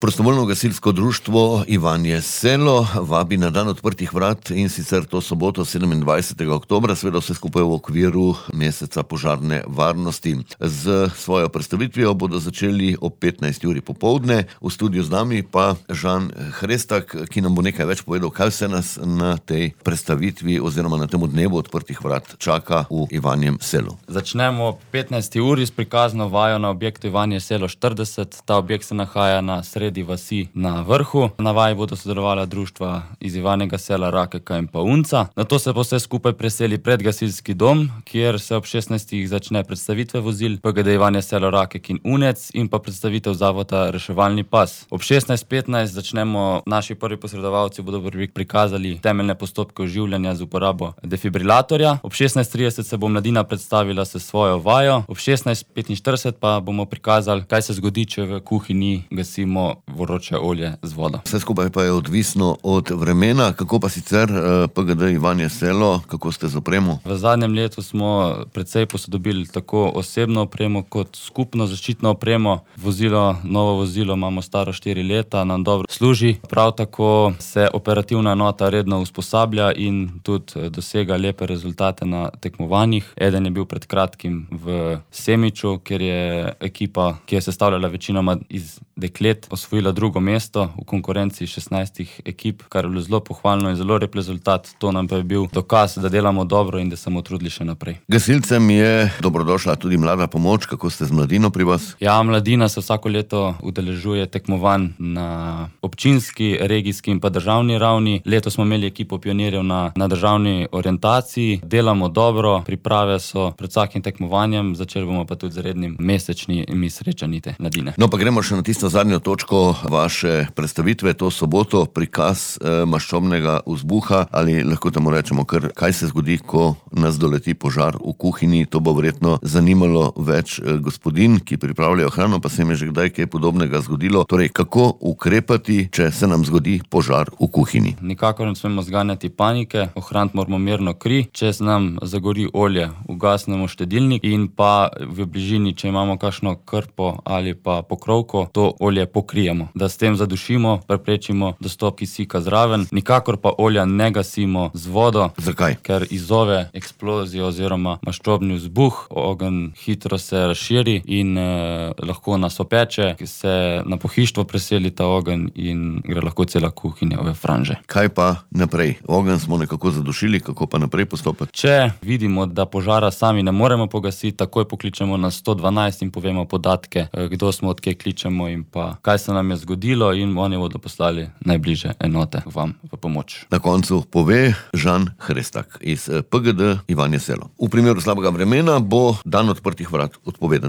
Prostovoljno gasilsko društvo Ivanje Selo vabi na dan odprtih vrat, in sicer to soboto 27. oktobra, seveda vse skupaj v okviru meseca požarne varnosti. Z svojo predstavitvijo bodo začeli ob 15. uri popoldne. V studiu z nami pa Žan Hrestak, ki nam bo nekaj več povedal, kaj vse nas na tej predstavitvi oziroma na tem dnevu odprtih vrat čaka v Ivanjem Selu. Začnemo ob 15. uri s prikazno vajo na objektu Ivanje Selo 40. Ta objekt se nahaja na sredi vasi na vrhu. Na vaji bodo sodelovala društva iz Ivanjega Sela, Rakeka in pa Unca. Nato se bo vse skupaj preseli pred gasilski dom, kjer se ob 16. začne predstavitve vozil PGD Ivanje Selo, Rakek in Unec in pa predstavitev zavoda Reševalni pas. Ob 16:15 začnemo, naši prvi posredovalci bodo prikazali temeljne postopke oživljanja z uporabo defibrilatorja. Ob 16:30 se bo mladina predstavila s svojo vajo. Ob 16:45 pa bomo prikazali, kaj se zgodi, če v kuhinji gasimo vroče olje z vodo. Vse skupaj pa je odvisno od vremena. Kako pa sicer PGD Ivanje Selo, kako ste z opremo? V zadnjem letu smo precej posodobili tako osebno opremo kot skupno zaščitno opremo. Novo vozilo imamo staro 4 leta, nam dobro služi. Prav tako se operativna enota redno usposablja in tudi dosega lepe rezultate na tekmovanjih. Eden je bil pred kratkim v Semiču, kjer je ekipa, ki je sestavljala večinoma iz deklet, osvojila drugo mesto v konkurenci 16 ekip, kar je bilo zelo pohvalno in zelo lep rezultat. To nam pa je bil dokaz, da delamo dobro in da se bomo trudili še naprej. Gasilcem je dobrodošla tudi mlada pomoč. Kako ste z mladino pri vas? Ja, mladina se vsako leto udeležuje tekmovanj na občinski, regijski in pa državni ravni. Letos smo imeli ekipo pionirjev na državni orientaciji. Delamo dobro, priprave so pred vsakim tekmovanjem, začeli bomo pa tudi z rednim mesečnimi srečanji te mladine. No, pa gremo še na tisto zadnjo točko vaše predstavitve, to soboto, prikaz maščobnega vzbuha, ali lahko temu rečemo kar, kaj se zgodi, ko nas doleti požar v kuhinji. To bo verjetno zanimalo več gospodinj, ki pripravljajo hrano, pa se jim je že kdaj kaj podobnega zgodilo. Torej, kako ukrepati, če se nam zgodi požar v kuhinji? Nikakor ne smemo zganjati panike, ohraniti moramo mirno kri. Če se nam zagori olje, ugasnemo štedilnik in pa v bližini, če imamo kakšno krpo ali pa pokrovko, to olje pokrijemo, da s tem zadušimo, preprečimo dostop kisika zraven. Nikakor pa olja ne gasimo z vodo. Zakaj? Ker izzove eksplozijo oziroma maščobni vzbuh, ogenj hitro se razširi in lahko nas opeče, se na pohištvo preseli ta ogenj in gre lahko cela kuhinja v franže. Kaj pa naprej? Ogenj smo nekako zadušili, kako pa naprej postopati? Če vidimo, da požara sami ne moremo pogasiti, takoj pokličemo na 112 in povemo podatke, kdo smo, odkje kličemo in pa kaj se nam je zgodilo, in oni bodo poslali najbližje enote vam v pomoč. Na koncu pove Žan Hrestak iz PGD Ivanje Selo. V primeru slabega vremena bo dan odprtih vrat odpovedan.